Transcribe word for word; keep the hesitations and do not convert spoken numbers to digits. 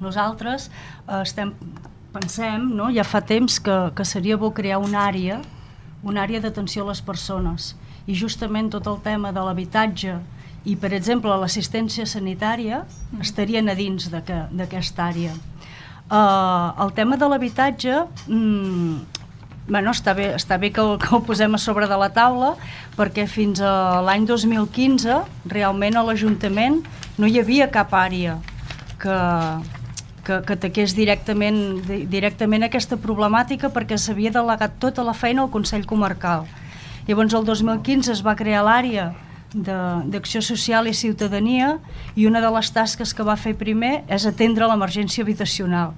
Nosaltres eh, estem, pensem, no? Ja fa temps que, que seria bo crear una àrea, una àrea d'atenció a les persones, i justament tot el tema de l'habitatge i, per exemple, l'assistència sanitària estarien a dins d'aquesta àrea. Uh, el tema de l'habitatge, mm, bueno, està bé, està bé que el, que el posem a sobre de la taula, perquè fins a l'any dos mil quinze realment a l'Ajuntament no hi havia cap àrea que, que, que ataqués directament, directament aquesta problemàtica, perquè s'havia delegat tota la feina al Consell Comarcal. Llavors el dos mil quinze es va crear l'àrea d'Acció Social i Ciutadania, i una de les tasques que va fer primer és atendre l'emergència habitacional.